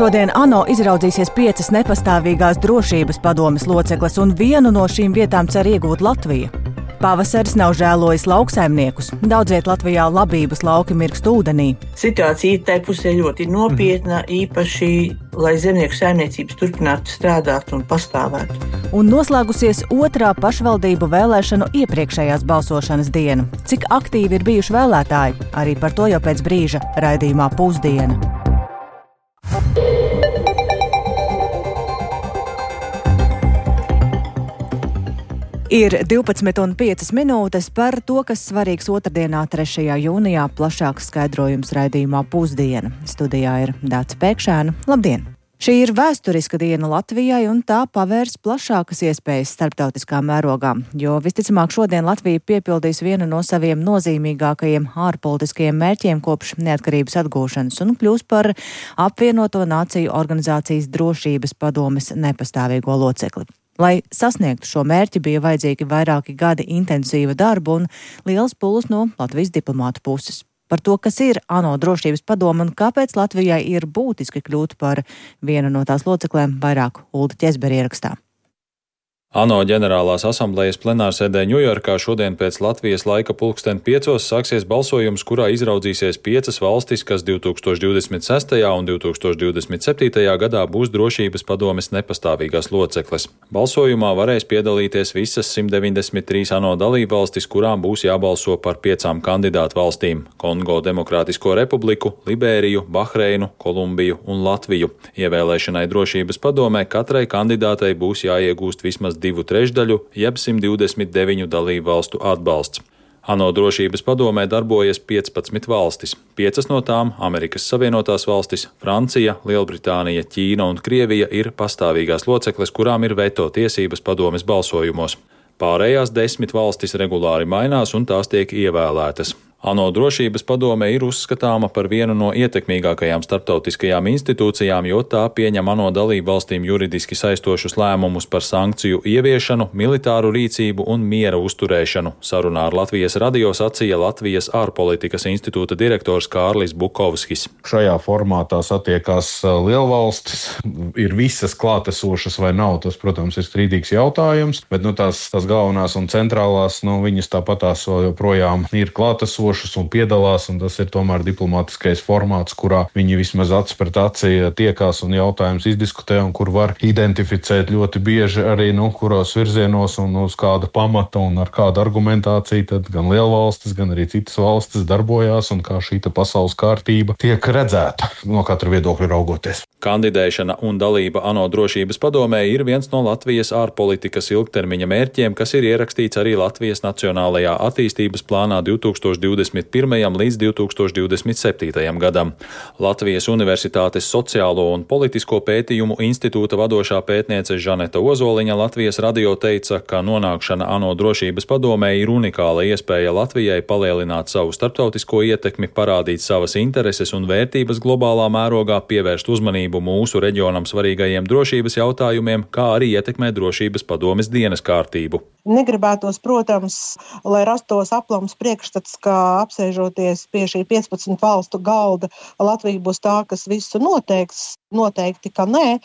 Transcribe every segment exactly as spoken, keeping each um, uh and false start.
Šodien ANO izraudzīsies piecas nepastāvīgās drošības padomes locekles, un vienu no šīm vietām cer iegūt Latvija. Pavasaris nav žēlojis lauksaimniekus. Daudziet Latvijā labības lauki mirkst ūdenī. Situācija tai pusē ļoti nopietna, īpaši, lai zemnieku saimniecības turpinātu strādāt un pastāvētu. Un noslēgusies otrā pašvaldību vēlēšanu iepriekšējās balsošanas diena. Cik aktīvi ir bijuši vēlētāji? Arī par to jau pēc brīža raidījumā Pusdiena. Ir divpadsmit un piecas minūtes par to, kas svarīgs otrdienā, trešajā jūnijā, plašāks skaidrojums raidījumā Pusdiena. Studijā ir Dāca Pēkšēna. Labdien! Šī ir vēsturiska diena Latvijai, un tā pavērs plašākas iespējas starptautiskā mērogā, jo visticamāk šodien Latvija piepildīs vienu no saviem nozīmīgākajiem ārpolitiskajiem mērķiem kopš neatkarības atgūšanas un kļūs par apvienoto nāciju organizācijas drošības padomes nepastāvīgo locekli. Lai sasniegtu šo mērķi, bija vajadzīgi vairāki gadi intensīva darba un liels pūles no Latvijas diplomātu puses. Par to, kas ir ANO drošības padome un kāpēc Latvijai ir būtiski kļūt par vienu no tās loceklēm, vairāk Ulda Ķezbera ierakstā. ANO ģenerālās asamblejas plenārsēdē Ņujorkā šodien pēc Latvijas laika pulksten piecos sāksies balsojums, kurā izraudzīsies piecas valstis, kas divi tūkstoši divdesmit sestajā un divi tūkstoši divdesmit septītajā gadā būs drošības padomes nepastāvīgās locekles. Balsojumā varēs piedalīties visas simt deviņdesmit trīs ANO dalībvalstis, kurām būs jābalso par piecām kandidātu valstīm - Kongo Demokrātisko republiku, Libēriju, Bahreinu, Kolumbiju un Latviju. Ievēlēšanai drošības padomē katrai kandidātei būs jāiegūst vismaz divu trešdaļu, jeb simt divdesmit deviņu dalību valstu atbalsts. ANO drošības padomē darbojas piecpadsmit valstis. Piecas no tām, Amerikas Savienotās valstis, Francija, Lielbritānija, Ķīna un Krievija, ir pastāvīgās locekles, kurām ir veto tiesības padomes balsojumos. Pārējās desmit valstis regulāri mainās un tās tiek ievēlētas. ANO drošības padome ir uzskatāma par vienu no ietekmīgākajām starptautiskajām institūcijām, jo tā pieņem ANO dalību valstīm juridiski saistošus lēmumus par sankciju ieviešanu, militāru rīcību un miera uzturēšanu. Sarunā ar Latvijas radio sacīja Latvijas ārpolitikas institūta direktors Kārlis Bukovskis. Šajā formātā satiekās lielvalstis, ir visas klātesošas vai nav, tas, protams, ir strīdīgs jautājums, bet nu, tās, tās galvenās un centrālās, nu, viņas tāpatās joprojām ir klātesošas un piedalās, un tas ir tomēr diplomātiskais formāts, kurā viņi vismaz acis pret aci tiekās un jautājums izdiskutē, un kur var identificēt ļoti bieži arī, nu, kuros virzienos un uz kāda pamata un ar kādu argumentāciju, tad gan lielvalstis, gan arī citas valstis darbojās, un kā šī pasaules kārtība tiek redzēta no katra viedokļa raugoties. Kandidēšana un dalība ANO drošības padomē ir viens no Latvijas ārpolitikas ilgtermiņa mērķiem, kas ir ierakstīts arī Latvijas Nacionālajā attīstības plānā divi tūkstoši divdesmit pirmajam līdz divi tūkstoši divdesmit septītajam gadam. Latvijas Universitātes sociālo un politisko pētījumu institūta vadošā pētniece Žaneta Ozoliņa Latvijas radio teica, ka nonākšana ANO drošības padomē ir unikāla iespēja Latvijai palielināt savu starptautisko ietekmi, parādīt savas intereses un vērtības globālā mērogā, pievērst uzmanību mūsu reģionam svarīgajiem drošības jautājumiem, kā arī ietekmēt drošības padomes dienas kārtību. Negribētos, protams, lai rastos aplams priekšstats, ka apsēžoties pie šī piecpadsmit valstu galda, Latvija būs tā, kas visu noteiks. Noteikti, ka nē,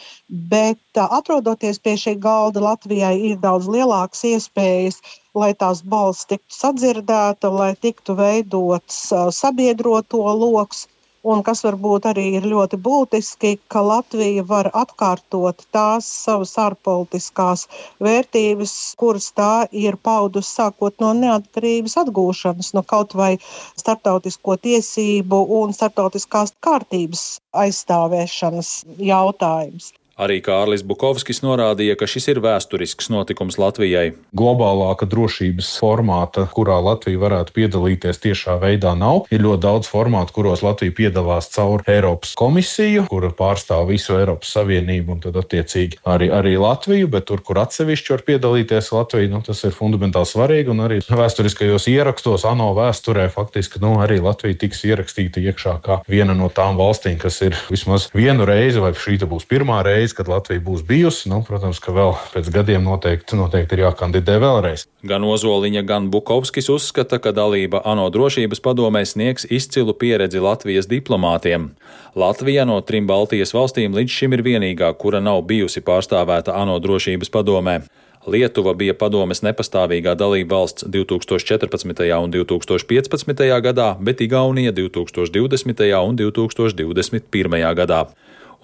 bet atrodoties pie šī galda, Latvijai ir daudz lielākas iespējas, lai tās balss tiktu sadzirdēta, lai tiktu veidots sabiedroto loks. Un kas varbūt arī ir ļoti būtiski, ka Latvija var atkārtot tās savas ārpolitiskās vērtības, kuras tā ir paudusi sākot no neatkarības atgūšanas, no kaut vai starptautisko tiesību un starptautiskās kārtības aizstāvēšanas jautājums. Arī Kārlis Bukovskis norādīja, ka šis ir vēsturisks notikums Latvijai. Globālāka drošības formāta, kurā Latvija varētu piedalīties tiešā veidā, nav. Ir ļoti daudz formātu, kuros Latvija piedalās caur Eiropas komisiju, kura pārstāv visu Eiropas Savienību un tad attiecīgi arī, arī Latviju, bet tur, kur atsevišķi var piedalīties Latvija, nu, tas ir fundamentāli svarīgi, un arī vēsturiskajos ierakstos ANO vēsturē faktiski nu, arī Latvija tiks ierakstīta iekšā kā viena no tām valstīm, kas ir vismaz vienu reizi, vai šī būs pirmā reize, reizi, kad Latvija būs bijusi. Nu, protams, ka vēl pēc gadiem noteikti, noteikti ir jākandidē vēlreiz. Gan Ozoliņa, gan Bukovskis uzskata, ka dalība ANO drošības padomē sniegs izcilu pieredzi Latvijas diplomātiem. Latvija no trim Baltijas valstīm līdz šim ir vienīgā, kura nav bijusi pārstāvēta ANO drošības padomē. Lietuva bija padomes nepastāvīgā dalība valsts divtūkstoš četrpadsmitajā un divtūkstoš piecpadsmitajā gadā, bet Igaunija divtūkstoš divdesmitajā un divtūkstoš divdesmit pirmajā gadā.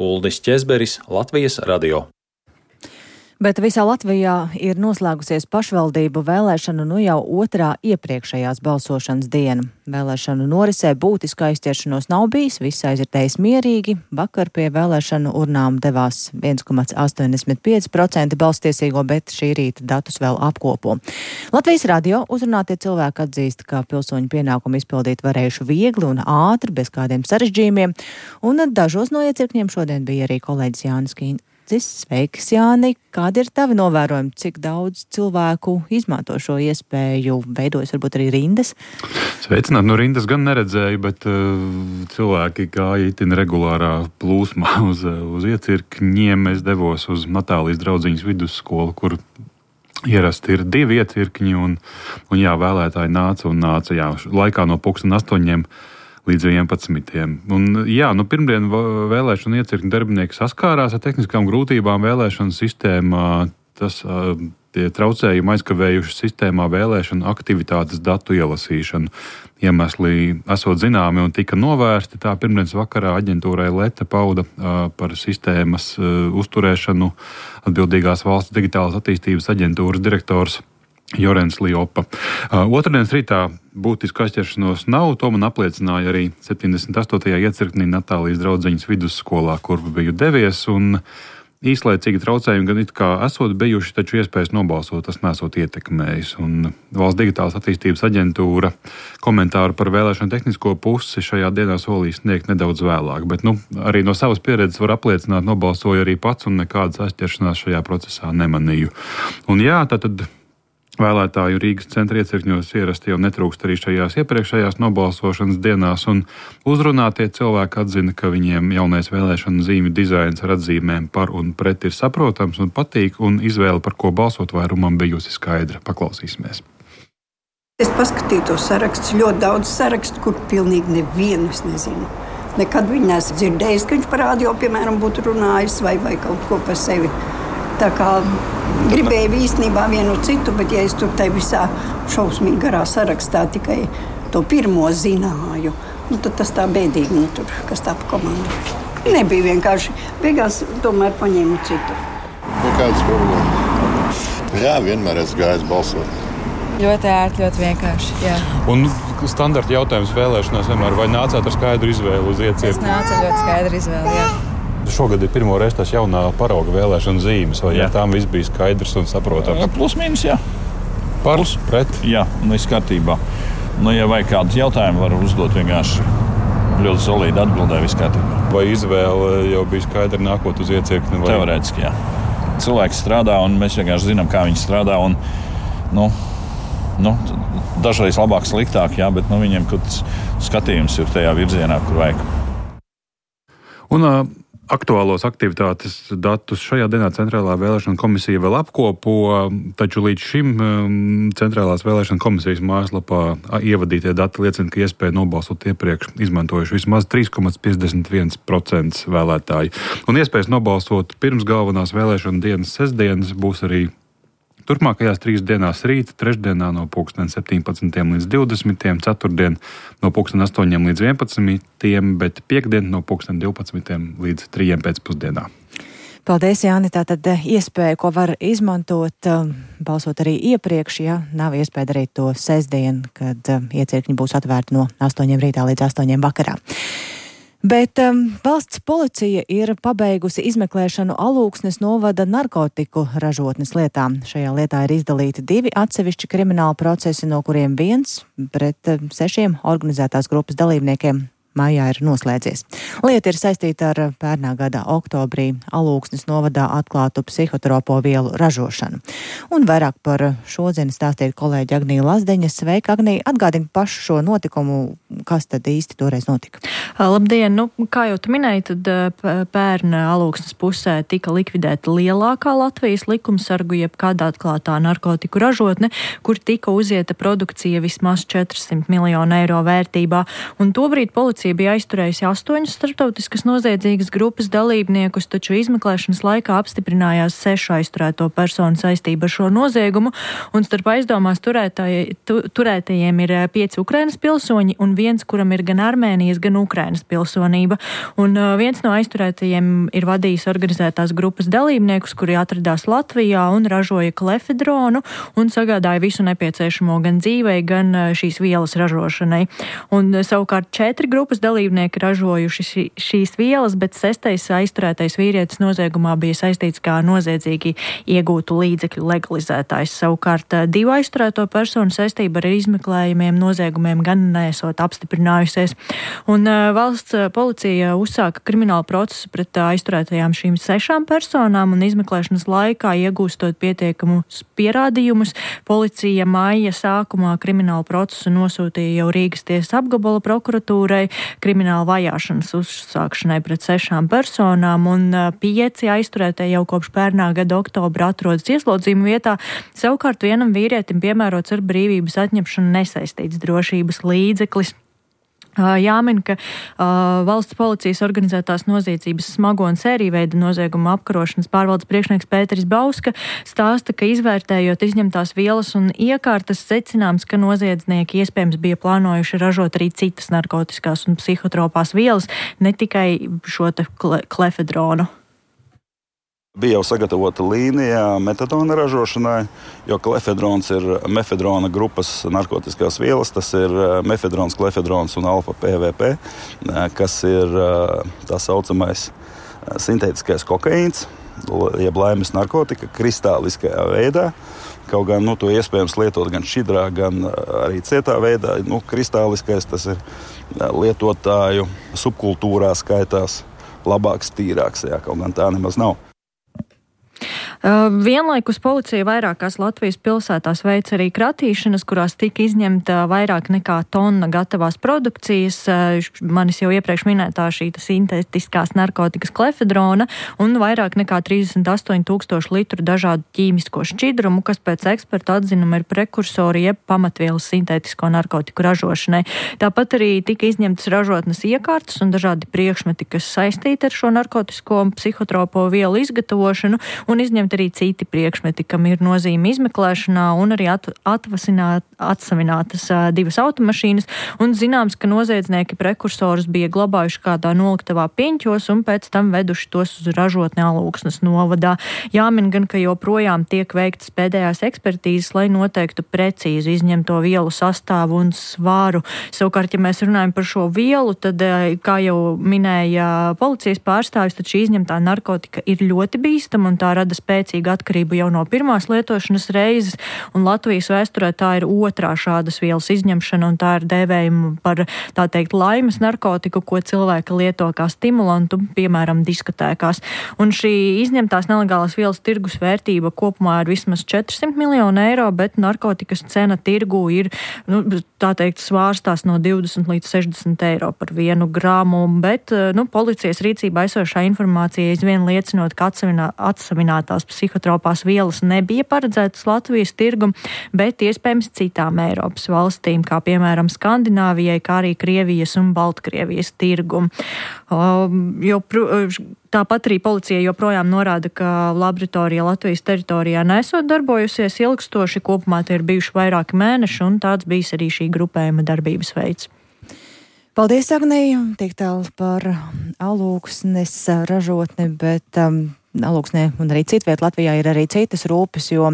Uldis Ķezberis, Latvijas radio. Bet visā Latvijā ir noslēgusies pašvaldību vēlēšanu nu jau otrā iepriekšējās balsošanas diena. Vēlēšanu norisē būtiska aizķeršanos nav bijis, viss aizritējis mierīgi. Vakar pie vēlēšanu urnām devās viens komma astoņdesmit pieci procenti balstiesīgo, bet šī rīta datus vēl apkopo. Latvijas radio uzrunātie cilvēki atzīst, ka pilsoņu pienākumu izpildīt varējuši viegli un ātri, bez kādiem sarežģījumiem, un dažos no iecirkņiem šodien bija arī kolēģis Jānis Kīns. Sveiks, Jāni! Kādi ir tavi novērojumi? Cik daudz cilvēku izmanto šo iespēju? Veidojas varbūt arī rindas? Sveicināt, no rindas gan neredzēju, bet uh, cilvēki gāja itin regulārā plūsmā uz, uz iecirkņiem. Es devos uz Natālijas draudziņas vidusskolu, kur ierasti ir divi iecirkņi, un, un jā, vēlētāji nāca un nāca, jā, laikā no pulksten astoņiem līdz vienpadsmitiem. Un, jā, nu, pirmdien vēlēšanu iecirkņu darbinieki saskārās ar tehniskām grūtībām vēlēšanu sistēmā. Tas tie traucējumi aizkavējuši sistēmā vēlēšanu aktivitātes datu ielasīšanu. Iemesli esot zināmi un tika novērsti. Tā pirmdienas vakarā aģentūrai Leta pauda par sistēmas uzturēšanu atbildīgās valsts digitālās attīstības aģentūras direktors Jorens Liopa. Uh, otrdienas rītā būtisku aizķeršanos nav, to man apliecināja arī septiņdesmit astotajā iecirknī Natālijas draudziņas vidusskolā, kur biju devies, un īslaicīgi traucējumi gan it kā esot bijuši, taču iespējas nobalsot tas nesot ietekmējis. Un Valsts digitālās attīstības aģentūra komentāru par vēlēšanu tehnisko pusi šajā dienā solīs sniegt nedaudz vēlāk, bet nu, arī no savas pieredzes var apliecināt, nobalsoju arī pats un nekādas aizķeršanās šajā procesā nemanīju. Un jā, tātad vēlētāju Rīgas centra iecirkņos ierasti jau netrūkst arī šajās iepriekšējās nobalsošanas dienās, un uzrunātie cilvēki atzina, ka viņiem jaunais vēlēšanu zīmju dizains ar atzīmēm par un pret ir saprotams un patīk, un izvēle, par ko balsot vairumam, bijusi skaidra. Paklausīsimies. Es paskatīju to sarakstu, ļoti daudz sarakstu, kur pilnīgi nevienu es nezinu. Nekad viņi neesmu dzirdējis, ka viņš par radio, piemēram, būtu runājis vai, vai kaut ko par sevi. Tā kā gribēju īstenībā vienu citu, bet ja es tur tai visā šausmīgi garā sarakstā tikai to pirmo zināju, nu, tad tas tā bēdīgi, nu, tur, kas tā pa komandu. Nebija vienkārši. Beigās tomēr paņēmu citu. Nekādas problēmas. Jā, vienmēr esmu gājis balsot. Ļoti ērti, ļoti vienkārši, jā. Un standarta jautājums vēlēšanās vienmēr, vai nācāt ar skaidru izvēli uz iecirkni? Es nācu ar ļoti skaidru izvēli, jā. Šogad ir pirmo reizi tās jaunā parauga vēlēšana zīmes, vai jā. Tām viss bija skaidrs un saprotams? Plus mīnus, jā. Par, Plus, pret? Jā, un viss kārtībā. Nu, ja vajag kādus jautājumus, var uzdot vienkārši ļoti solīdi atbildē, viss kārtībā. Vai izvēle jau bija skaidra nākot uz iecirkni? Vai... Teorētiski, jā. Cilvēki strādā, un mēs vienkārši zinām, kā viņi strādā, un, nu, nu, dažreiz labāk, sliktāk, jā, bet nu, viņiem kaut skatījums ir tajā virzienā, kur vajag. Un, uh... Aktuālos aktivitātes datus šajā dienā Centrālā vēlēšana komisija vēl apkopo, taču līdz šim Centrālās vēlēšana komisijas mājaslapā ievadītie dati liecina, ka iespēja nobalsot iepriekš izmantojuši vismaz trīs komma piecdesmit viens procents vēlētāji. Un iespējas nobalsot pirms galvenās vēlēšana dienas sestdienas būs arī turpmākajās trīs dienās rīta, trešdienā no pulksten septiņpadsmitiem līdz divdesmitiem, ceturtdien no pulksten astoņiem līdz vienpadsmitiem, bet piekdien no pulksten divpadsmitiem līdz trījiem pēcpusdienā. Paldies, Jāni. Tātad iespēja, ko var izmantot, balsot arī iepriekš, ja nav iespēja darīt to sestdien, kad iecirkņi būs atvērti no astoņiem rītā līdz astoņiem vakarā. Bet um, valsts policija ir pabeigusi izmeklēšanu Alūksnes novada narkotiku ražotnes lietām. Šajā lietā ir izdalīti divi atsevišķi krimināli procesi, no kuriem viens pret sešiem organizētās grupas dalībniekiem maijā ir noslēdzies. Lieta ir saistīta ar pērnā gada oktobrī Alūksnes novadā atklātu psihotropo vielu ražošanu. Un vairāk par šo zini stāstīja kolēģi Agnija Lazdeņa. Sveika, Agnija, atgādini pašu šo notikumu, kas tad īsti toreiz notika. Labdien, nu, kā jau tu minēji, tad pērna Alūksnes pusē tika likvidēta lielākā Latvijas likumsargu jeb kādā atklātā narkotiku ražotne, kur tika uzieta produkcija vismaz četrsimt miljonu eiro vērtībā. Un tobrīd policija bija aizturējusi astoņus starptautiskas noziedzīgas grupas dalībniekus, taču izmeklēšanas laikā apstiprinājās sešu aizturēto personu saistība ar šo noziegumu, un starp aizdomās turētāji, tu, turētajiem ir pieci Ukrainas pilsoņi un viens, kuram ir gan Armēnijas, gan Ukrainas pilsonība. Un uh, viens no aizturētajiem ir vadījis organizētās grupas dalībniekus, kuri atradās Latvijā un ražoja klefedronu un sagādāja visu nepieciešamo gan dzīvei, gan uh, šīs vielas ražošanai. Un uh, savukārt četri grupas dalībnieki ražojuši šī, šīs vielas, bet sestais aizturētais vīrietis noziegumā bija saistīts kā noziedzīgi iegūtu līdzekļu legalizētājs. Savukārt divu aizturēto personu saistība ar izmeklējumiem noziegumiem gan neesot apstiprinājusies. Un uh, valsts policija uzsāka kriminālu procesu pret aizturētajām šīm sešām personām un izmeklēšanas laikā iegūstot pietiekamus pierādījumus. Policija maija sākumā kriminālu procesu nosūtīja jau Rīgas tiesas apgabala prokuratūrai krimināla vajāšanas uzsākšanai pret sešām personām, un pieci aizturētie jau kopš pērnā gada oktobra atrodas ieslodzījuma vietā. Savukārt vienam vīrietim piemērots ar brīvības atņemšanu nesaistīts drošības līdzeklis. Jāmin, ka uh, valsts policijas organizētās noziedzības smago un sērijveida nozieguma apkarošanas pārvaldes priekšnieks Pēteris Bauska stāsta, ka izvērtējot izņemtās vielas un iekārtas secināms, ka noziedznieki iespējams bija plānojuši ražot arī citas narkotiskās un psihotropās vielas, ne tikai šo te kle- klefedronu. Bija jau sagatavota līnija metadona ražošanai, jo klefedrons ir mefedrona grupas narkotiskās vielas. Tas ir mefedrons, klefedrons un alfa P V P, kas ir tā saucamais sintētiskais kokaīns, jeb laimes narkotika, kristāliskajā veidā. Kaut gan nu, to iespējams lietot gan šķidrā, gan arī cietā veidā. Nu, kristāliskais tas ir lietotāju subkultūrā skaitās labāks, tīrāks, jā, kaut gan tā nemaz nav. Uh, vienlaikus policija vairākās Latvijas pilsētās veic arī kratīšanas, kurās tika izņemta vairāk nekā tonna gatavās produkcijas, uh, manis jau iepriekš minētā šī sintētiskās narkotikas klefedrona un vairāk nekā trīsdesmit astoņi tūkstoši litru dažādu ķīmisko šķidrumu, kas pēc eksperta atzinuma ir prekursori jeb pamatvielas sintētisko narkotiku ražošanai. Tāpat arī tika izņemtas ražotnes iekārtas un dažādi priekšmeti, kas saistīti ar šo narkotisko psihotropo vielu izgatavošanu, un izņemt arī citi priekšmeti, kam ir nozīme izmeklēšanā, un arī at, atvasināt, atsavinātas uh, divas automašīnas, un zināms, ka noziedznieki prekursorus bija glabājuši kādā noliktavā Piņķos un pēc tam veduši tos uz ražotni Alūksnes novadā. Jāmin gan, ka joprojām tiek veiktas pēdējās ekspertīzes, lai noteiktu precīzi izņemto vielu sastāvu un svāru. Savukārt, ja mēs runājam par šo vielu, tad, kā jau minēja policijas pārstāvis, tad šī izņemtā narkotika ir ļoti bīstama un tā rada spēcīgu atkarību jau no pirmās lietošanas reizes, un Latvijas vēsturē tā ir otrā šādas vielas izņemšana, un tā ir dēvējuma par, tā teikt, laimes narkotiku, ko cilvēki lieto kā stimulantu, piemēram, diskotēkās. Un šī izņemtās nelegālās vielas tirgus vērtība kopumā ir vismaz četrsimt miljonu eiro, bet narkotikas cena tirgu ir, nu, tā teikt, svārstās no divdesmit līdz sešdesmit eiro par vienu gramu, bet, nu, policijas rīcībā esošā informācija aizvien liecinot, ka atsavinā, atsavinātās psihotropās vielas nebija paredzētas Latvijas tirgum, bet iespējams citām Eiropas valstīm, kā piemēram Skandināvijai, kā arī Krievijas un Baltkrievijas tirgum. Um, jo, tāpat arī policija joprojām norāda, ka laboratorija Latvijas teritorijā nesot darbojusies ilgstoši, kopumā tie ir bijuši vairāki mēneši, un tāds bijis arī šī grupējuma darbības veids. Paldies, Agnija, tik tālu par Alūksnes ražotni, bet um, Alūksnē un arī citviet Latvijā ir arī citas rūpes, jo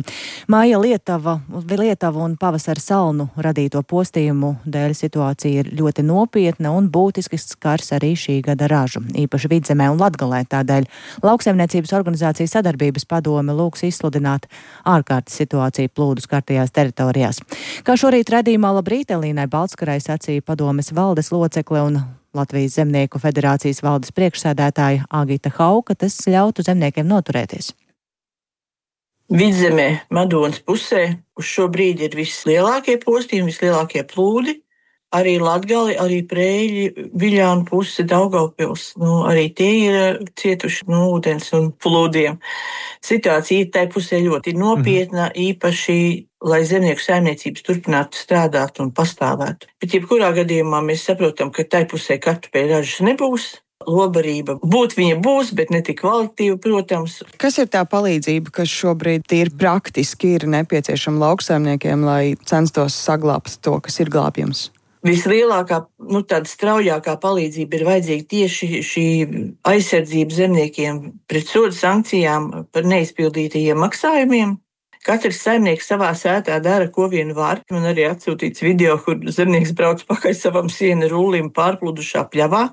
māja Lietava, Lietava un pavasara salnu radīto postījumu dēļ situācija ir ļoti nopietna un būtiski skars arī šī gada ražu, īpaši Vidzemē un Latgalē. Tādēļ Lauksaimniecības organizācijas sadarbības padome lūgs izsludināt ārkārtas situāciju plūdu skartajās teritorijās. Kā šorīt redzījumā Labrīt Elīnai Baltskarai sacīja padomes valdes locekle un Latvijas Zemnieku federācijas valdes priekšsēdētāja Agita Hauka, tas ļautu zemniekiem noturēties. Vidzemē, Madonas pusē, uz šo brīdi ir vislielākie postījumi, vislielākie plūdi. Arī Latgali, arī Prēļi, Viļānu puse, Daugavpils. Nu, arī tie ir cietuši no ūdens un plūdiem. Situācija tai pusē ļoti nopietna, mm. īpaši, lai zemnieku saimniecības turpinātu strādāt un pastāvētu. Bet jebkurā gadījumā mēs saprotam, ka tai pusē kartupeļu ražas nebūs. Lobarība būt viņa būs, bet ne tik kvalitīva, protams. Kas ir tā palīdzība, kas šobrīd tīri praktiski ir nepieciešama lauksaimniekiem, lai censtos saglābt to, kas ir glābjams? Vislielākā, nu tāda straujākā palīdzība ir vajadzīga tieši šī aizsardzība zemniekiem pret sodu sankcijām par neizpildītajiem maksājumiem. Katrs saimnieks savā sētā dara, ko vien var. Man arī atsūtīts video, kur zemnieks brauc pakaļ savam siena rullim pārplūdušā pļavā,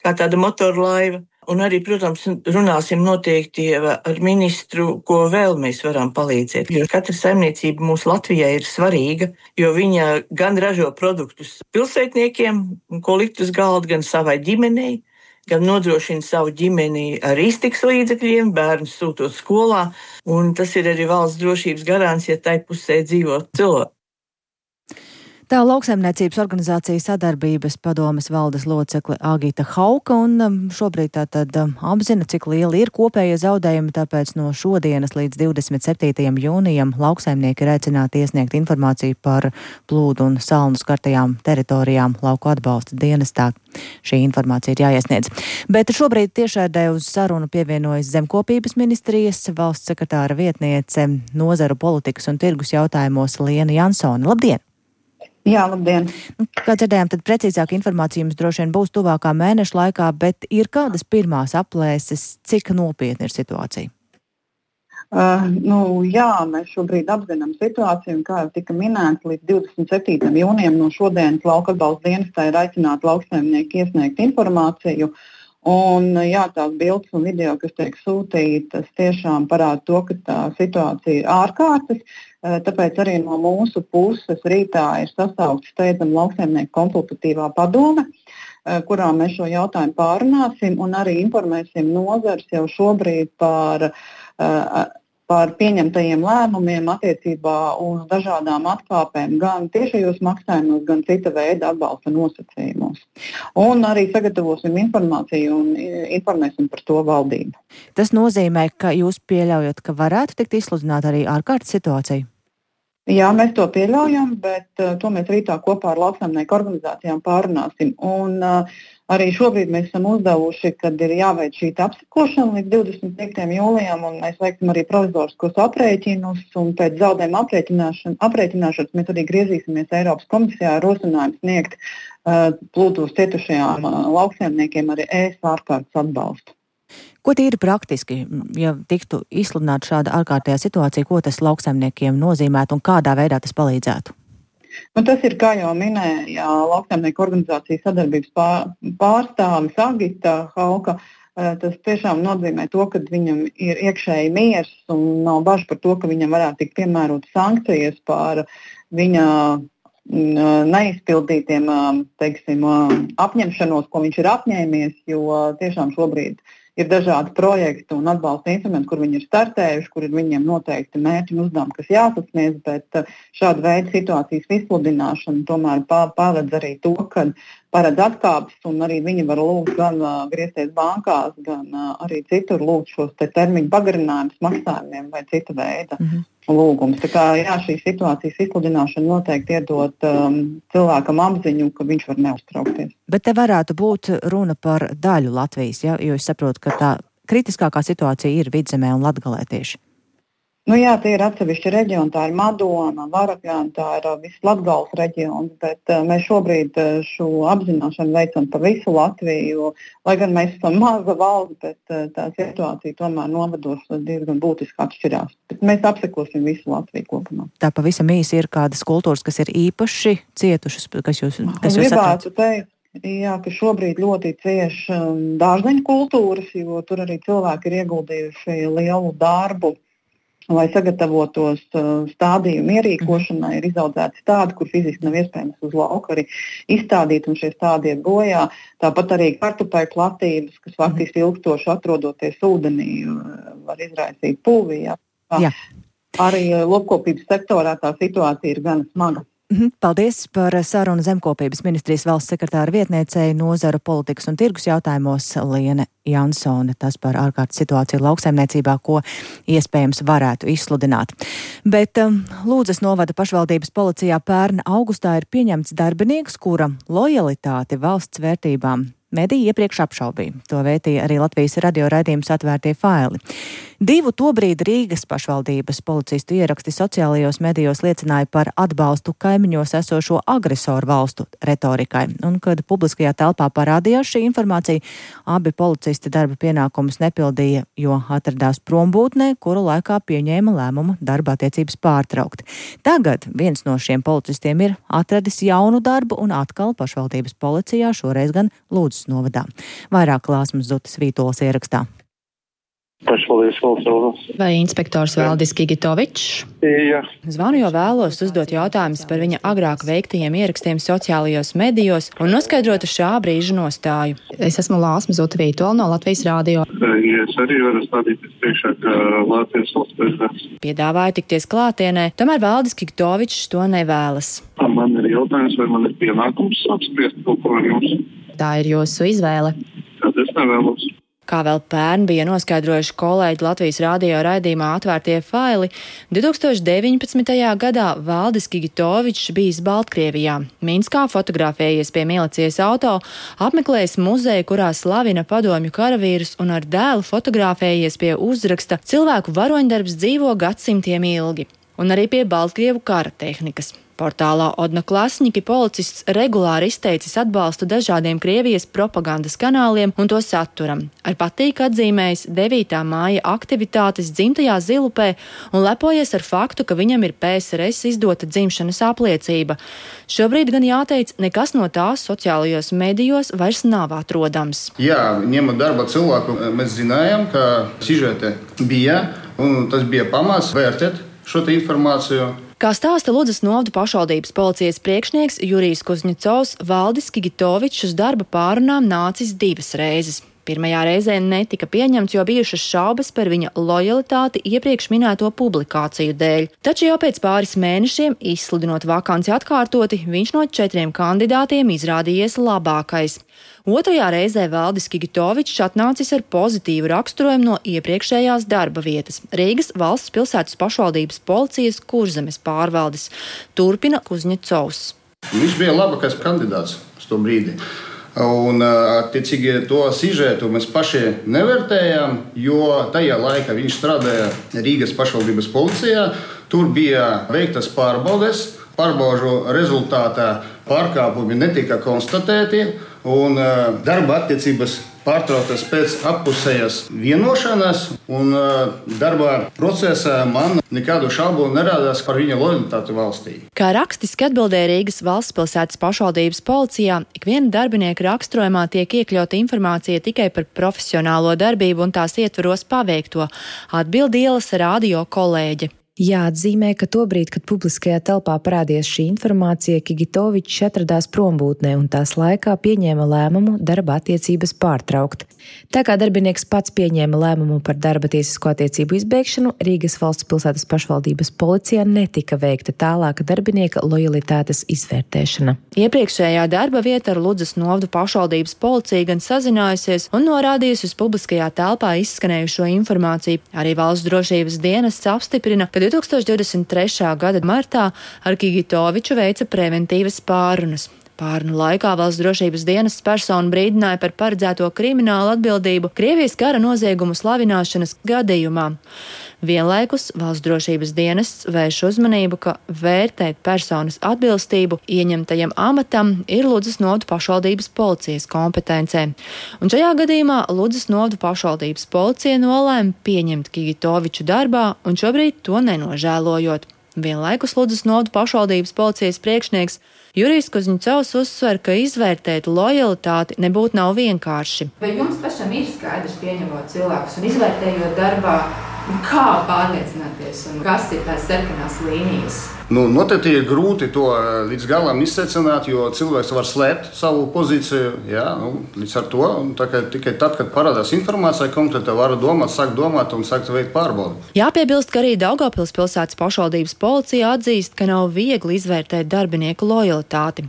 kā tāda motorlaiva. Un arī, protams, runāsim noteikti ar ministru, ko vēl mēs varam palīdzēt. Jo katra saimniecība mūsu Latvijā ir svarīga, jo viņa gan ražo produktus pilsētniekiem, ko likt uz galda, gan savai ģimenei, gan nodrošina savu ģimeni ar iztikas līdzekļiem, bērnus sūtot skolā. Un tas ir arī valsts drošības garants, ja tai pusē dzīvo cilvēki. Tā lauksaimniecības organizācija sadarbības padomes valdes locekle Agita Hauka un šobrīd tātad apzina, cik lieli ir kopējie zaudējumi, tāpēc no šodienas līdz divdesmit septītajam jūnijam lauksaimnieki ir aicināti iesniegt informāciju par plūdu un salnu skartajām teritorijām lauku atbalsta dienestā. Šī informācija ir jāiesniedz. Bet šobrīd tiešādē uz sarunu pievienojas Zemkopības ministrijas valsts sekretāra vietniece nozaru politikas un tirgus jautājumos Liena Jansone. Labdien! Jā, labdien! Kā dzirdējām, tad precīzāka informācija jums droši vien būs tuvākā mēneša laikā, bet ir kādas pirmās aplēses, cik nopietna ir situācija? Uh, nu, jā, mēs šobrīd apzinām situāciju, un kā jau tika minēts, līdz divdesmit septītajam jūnijam no šodienas lauka atbalsta dienestā ir aicināti lauksaimnieki iesniegt informāciju. Un, jā, tās bildes un video, kas tiek sūtītas, tiešām parāda to, ka tā situācija ir ārkārtas. Tāpēc arī no mūsu puses rītā ir sasaukta steidzama lauksaimnieku konsultatīvā padome, kurā mēs šo jautājumu pārunāsim un arī informēsim nozares jau šobrīd par, par pieņemtajiem lēmumiem attiecībā uz dažādām atkāpēm gan tiešajos maksājumos, gan cita veida atbalsta nosacījumos. Un arī sagatavosim informāciju un informēsim par to valdību. Tas nozīmē, ka jūs pieļaujat, ka varētu tikt izsludināta arī ārkārtas situācija? Jā, mēs to pieļaujam, bet uh, to mēs rītā kopā ar lauksaimnieku organizācijām pārunāsim. Un uh, arī šobrīd mēs esam uzdevuši, kad ir jāveic šī apsekošana līdz divdesmit piektajam jūlijam, un mēs veiksim arī provizoriskos aprēķinus, un pēc zaudējuma aprēķināšana, aprēķināšanas mēs arī griezīsimies Eiropas komisijā ar rosinājumu sniegt uh, plūdos cietušajām uh, lauksaimniekiem arī ēs ārkārtas atbalstu. Ko tīri praktiski, ja tiktu izsludināta šāda ārkārtējā situācija, ko tas lauksaimniekiem nozīmētu un kādā veidā tas palīdzētu? Nu, tas ir, kā jau minēja lauksaimnieku organizācijas sadarbības pārstāvis Agita Hauka. Tas tiešām nozīmē to, ka viņam ir iekšēji miers un nav bažu par to, ka viņam varētu tikt piemērot sankcijas par viņa neizpildītiem, teiksim, apņemšanos, ko viņš ir apņēmies, jo tiešām šobrīd ir dažādi projekti un atbalsta instrumenti, kur viņi ir startējuši, kur ir viņiem noteikti mērķi un uzdevumi, kas jāsasniedz, bet šāda veida situācijas izsludināšana tomēr paredz arī to, ka paredz atkāpes, un arī viņi var lūgt gan uh, griezties bankās, gan uh, arī citur lūgt šos te termiņu pagarinājumus maksājumiem vai cita veida mm-hmm. lūgumus. Tā kā jā, šī situācijas izsludināšana noteikti iedot um, cilvēkam apziņu, ka viņš var neuztraukties. Bet te varētu būt runa par daļu Latvijas, ja? Jo es saprotu, ka tā kritiskākā situācija ir Vidzemē un Latgalē tieši. Nu jā, tie ir atsevišķi reģioni, tā ir Madona, Varakļāna, tā ir viss Latgales reģions, bet uh, mēs šobrīd uh, šo apzināšanu veicam par visu Latviju, jo, lai gan mēs esam maza valsts, bet uh, tā situācija tomēr novados diezgan būtiski atšķirās. Bet mēs apsekosim visu Latviju kopumā. Tā pavisam īsi ir kādas kultūras, kas ir īpaši cietušas, kas jūs, kas jūs saprāt? Teikt, jā, ka šobrīd ļoti cieši dārzeņu kultūras, jo tur arī cilvēki ir ieguldījuši lielu darbu lai sagatavotos stādījumu ierīkošanai, ir izaudzēti stādi, kur fiziski nav iespējams uz lauka arī izstādīt, un šie stādi iet bojā. Tāpat arī kartupeļu platības, kas faktiski ilgstoši atrodoties ūdenī, var izraisīt pulvi. Jā. Jā. Arī lopkopības sektorā tā situācija ir gan smaga. Paldies par sarunu Zemkopības ministrijas valsts sekretāra vietniecei nozaru politikas un tirgus jautājumos Liene Jansone. Tas par ārkārtas situāciju lauksaimniecībā, ko iespējams varētu izsludināt. Bet um, Lūdzas novada pašvaldības policijā pērn augustā ir pieņemts darbinieks, kura lojalitāti valsts vērtībām mediji iepriekš apšaubīja. To vētīja arī Latvijas radio raidījums Atvērtie faili. Divu tobrīd Rīgas pašvaldības policistu ieraksti sociālajos medijos liecināja par atbalstu kaimiņos esošo agresoru valstu retorikai. Un, kad publiskajā telpā parādījās šī informācija, abi policisti darba pienākumus nepildīja, jo atradās prombūtnē, kuru laikā pieņēma lēmumu darba attiecības pārtraukt. Tagad viens no šiem policistiem ir atradis jaunu darbu un atkal pašvaldības policijā, šoreiz gan Lūdzas novadā. Vairāk Klāsmas Zutas Vītolas ierakstā. Pašvaldības valsts. Vai inspektors Valdis Gigitovičs? Jā. Zvanu, jo vēlos uzdot jautājumus par viņa agrāk veiktajiem ierakstiem sociālajos medijos un noskaidrotu šā brīža nostāju. Es esmu Lāsma Zuta Vītola no Latvijas radio. Ja es arī varu stādīties priekšā, ka Latvijas valsts prezidents. Piedāvāju tikties klātienē, tomēr Valdis Gigitovičs to nevēlas. Man ir jautājums, vai man ir pienākums apspriest kaut ko ar jums? Tā ir jūsu izvēle. Tad es nevēlos. Kā vēl pērn bija noskaidrojuši kolēģi Latvijas radio raidījumā Atvērtie faili, divi tūkstoši deviņpadsmitajā gadā Valdis Gigitovičs bijis Baltkrievijā. Minskā fotografējies pie milicijas auto, apmeklējis muzeju, kurā slavina padomju karavīrus un ar dēlu fotografējies pie uzraksta "Cilvēku varoņdarbs dzīvo gadsimtiem ilgi" un arī pie Baltkrievu kara tehnikas. Portālā Odnoklasņiki policists regulāri izteicis atbalstu dažādiem Krievijas propagandas kanāliem un to saturam. Ar patīk atzīmējis devītā māja aktivitātes dzimtajā Zilupē un lepojies ar faktu, ka viņam ir P S R S izdota dzimšanas apliecība. Šobrīd gan jāteic, nekas no tās sociālajos medijos vairs nav atrodams. Jā, ņemot darba cilvēku, mēs zinājām, ka sižete bija, un tas bija pamats vērtēt šo informāciju. Kā stāsta Ludzas novada pašvaldības policijas priekšnieks Jurijs Kuzņecovs, Valdis Gigitovičs uz darba pārunām nācis divas reizes. Pirmajā reizē netika pieņemts, jo bijušas šaubas par viņa lojalitāti iepriekš minēto publikāciju dēļ. Taču jau pēc pāris mēnešiem, izsludinot vakanci atkārtoti, viņš no četriem kandidātiem izrādījies labākais. Otrajā reizē Valdis Gigitovičs atnācis ar pozitīvu raksturojumu no iepriekšējās darba vietas – Rīgas valsts pilsētas pašvaldības policijas Kurzemes pārvaldes. Turpina Kuzņecovs. Viņš bija labākais kandidāts uz to brīdi. Un, attiecīgi, to sižetu mēs paši nevērtējām, jo tajā laikā viņš strādāja Rīgas pašvaldības policijā. Tur bija veiktas pārbaudes, pārbaužu rezultātā pārkāpumi netika konstatēti, un darba attiecības pārtrauktas pēc appusējas vienošanās, un darba procesā man nekādu šaubu nerādās par viņa lojalitāti valstī. Kā rakstiski atbildēja Rīgas valsts pilsētas pašvaldības policijā, ikviena darbinieka raksturojumā tiek iekļauta informācija tikai par profesionālo darbību un tās ietveros paveikto, atbild ielas radio kolēģe. Jāatzīmē, ka tobrīd, kad publiskajā telpā parādījās šī informācija, Gigitovičs atradās prombūtnē un tās laikā pieņēma lēmumu darba attiecības pārtraukt. Tā kā darbinieks pats pieņēma lēmumu par darba tiesisko attiecību izbeigšanu, Rīgas valsts pilsētas pašvaldības policijā netika veikta tālāka darbinieka lojalitātes izvērtēšana. Iepriekšējā darba vieta ar Ludzas novada pašvaldības policiju gan sazinājusies un norādījusi uz publiskajā telpā izskanējušo informāciju. Arī valsts drošības dienests apstiprina, ka divi tūkstoši divdesmit trešā gada martā ar Gigitoviču veica preventīvas pārunas. Pārunu laikā valsts drošības dienests personu brīdināja par paredzēto kriminālu atbildību Krievijas kara noziegumu slavināšanas gadījumā. Vienlaikus valsts drošības dienests vērš uzmanību, ka vērtēt personas atbilstību ieņemtajam amatam ir Ludzas novada pašvaldības policijas kompetencē. Un šajā gadījumā Ludzas novada pašvaldības policija nolēma pieņemt Gigitoviču darbā un šobrīd to nenožēlojot. Vienlaikus Ludzas novada pašvaldības policijas priekšnieks Jurijs Kuzņecovs uzsver, ka izvērtēt lojalitāti nebūtu nav vienkārši. Vai jums pašam ir skaidrs, pieņemot cilvēkus un izvērtējot darbā, Kā pārliecināties un kas ir tās sarkanās līnijas? Nu, noteikti ir grūti to līdz galam izsecināt, jo cilvēks var slēpt savu pozīciju. Jā, nu, līdz ar to tikai tad, kad parādās informācija, konkrēti var domāt, sākt domāt un sākt veikt pārbaudi. Jāpiebilst, ka arī Daugavpils pilsētas pašvaldības policija atzīst, ka nav viegli izvērtēt darbinieku lojalitāti.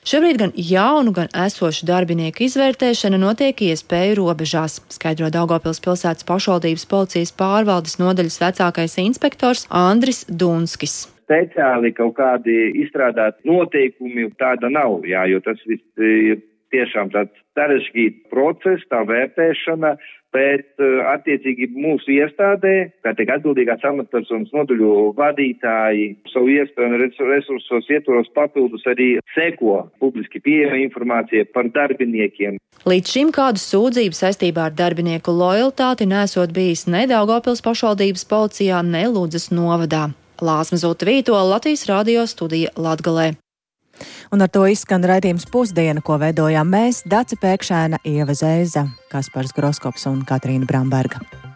Šobrīd gan jaunu, gan esošu darbinieku izvērtēšana notiek iespēju robežās, skaidro Daugavpils pilsētas pašvaldības policijas pārvaldes nodaļas vecākais inspektors Andris Dunskis. Speciāli kaut kādi izstrādāt noteikumi tāda nav, jā, jo tas viss ir tiešām tāds sarežģīts process, tā vērtēšana, bet attiecīgi mūsu iestādē, kā tiek atbildīgās amatpersonas nodaļu vadītāji, savu iespēju un resursos ietvaros papildus arī seko publiski pieejama informācija par darbiniekiem. Līdz šim kādu sūdzību saistībā ar darbinieku lojalitāti nesot bijis ne Daugavpils pašvaldības policijā, ne Ludzas novadā. Lāsma Zuta Vītola, Latvijas radio studija Latgalē. Un ar to izskan raidījums Pusdiena, ko veidojām mēs, Dace Pēkšēna, Ieva Zēza, Kaspars Groskops un Katrīna Bramberga.